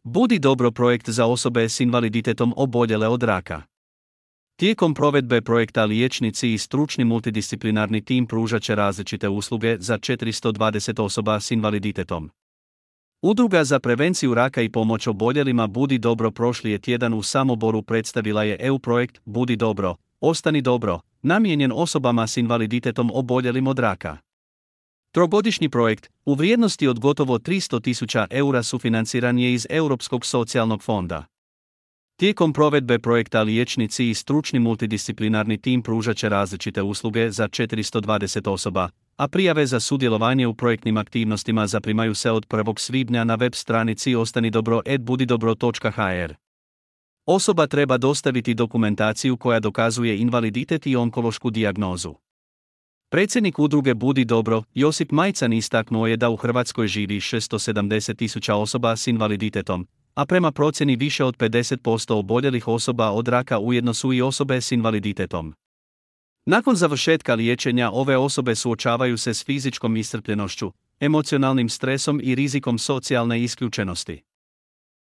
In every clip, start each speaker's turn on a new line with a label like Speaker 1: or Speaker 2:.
Speaker 1: Budi dobro projekt za osobe s invaliditetom oboljele od raka. Tijekom provedbe projekta liječnici i stručni multidisciplinarni tim pružat će različite usluge za 420 osoba s invaliditetom. Udruga za prevenciju raka i pomoć oboljelima Budi dobro prošli tjedan u Samoboru predstavila je EU projekt Budi dobro, ostani dobro, namijenjen osobama s invaliditetom oboljelim od raka. Trogodišnji projekt, u vrijednosti od gotovo 300.000 eura sufinanciran je iz Europskog socijalnog fonda. Tijekom provedbe projekta liječnici i stručni multidisciplinarni tim pružat će različite usluge za 420 osoba, a prijave za sudjelovanje u projektnim aktivnostima zaprimaju se od 1. svibnja na web stranici ostanidobro@budidobro.hr. Osoba treba dostaviti dokumentaciju koja dokazuje invaliditet i onkološku dijagnozu. Predsjednik udruge Budi dobro, Josip Majcan istaknuo je da u Hrvatskoj živi 670.000 osoba s invaliditetom, a prema procjeni više od 50% oboljelih osoba od raka ujedno su i osobe s invaliditetom. Nakon završetka liječenja ove osobe suočavaju se s fizičkom iscrpljenošću, emocionalnim stresom i rizikom socijalne isključenosti.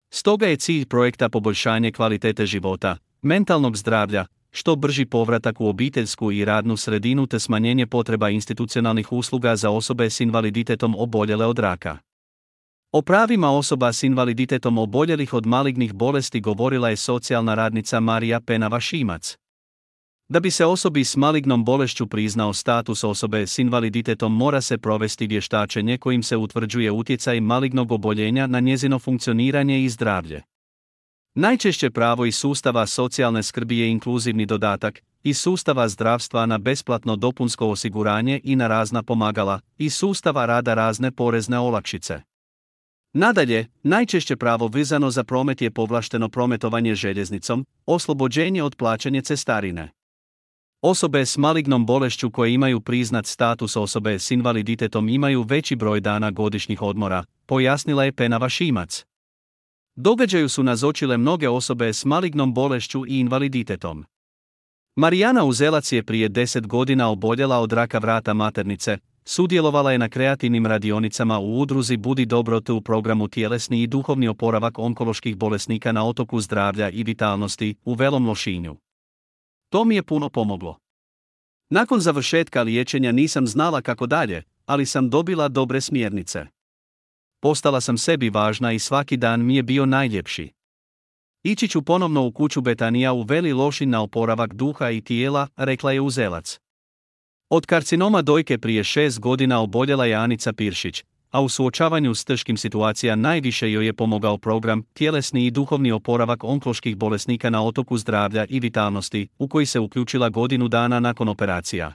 Speaker 1: Stoga je cilj projekta poboljšanje kvalitete života, mentalnog zdravlja, što brži povratak u obiteljsku i radnu sredinu te smanjenje potreba institucionalnih usluga za osobe s invaliditetom oboljele od raka. O pravima osoba s invaliditetom oboljelih od malignih bolesti govorila je socijalna radnica Marija Penava-Šimac. Da bi se osobi s malignom bolešću priznao status osobe s invaliditetom mora se provesti vještačenje kojim se utvrđuje utjecaj malignog oboljenja na njezino funkcioniranje i zdravlje. Najčešće pravo iz sustava socijalne skrbi je inkluzivni dodatak, iz sustava zdravstva na besplatno dopunsko osiguranje i na razna pomagala, iz sustava rada razne porezne olakšice. Nadalje, najčešće pravo vezano za promet je povlašteno prometovanje željeznicom, oslobođenje od plaćanja cestarine. Osobe s malignom bolešću koje imaju priznat status osobe s invaliditetom imaju veći broj dana godišnjih odmora, pojasnila je Penava-Šimac. Događaju su nazočile mnoge osobe s malignom bolešću i invaliditetom. Marijana Uzelac je prije 10 godina oboljela od raka vrata maternice, sudjelovala je na kreativnim radionicama u udruzi Budi dobro te u programu Tjelesni i duhovni oporavak onkoloških bolesnika na Otoku zdravlja i vitalnosti u Velom Lošinju. To mi je puno pomoglo. Nakon završetka liječenja nisam znala kako dalje, ali sam dobila dobre smjernice. Postala sam sebi važna i svaki dan mi je bio najljepši. Ići ću ponovno u kuću Betanija u Veli Lošinj na oporavak duha i tijela, rekla je Uzelac. Od karcinoma dojke prije 6 godina oboljela je Anica Piršić, a u suočavanju s teškim situacijama najviše joj je pomogao program Tjelesni i duhovni oporavak onkoloških bolesnika na Otoku zdravlja i vitalnosti, u koji se uključila godinu dana nakon operacija.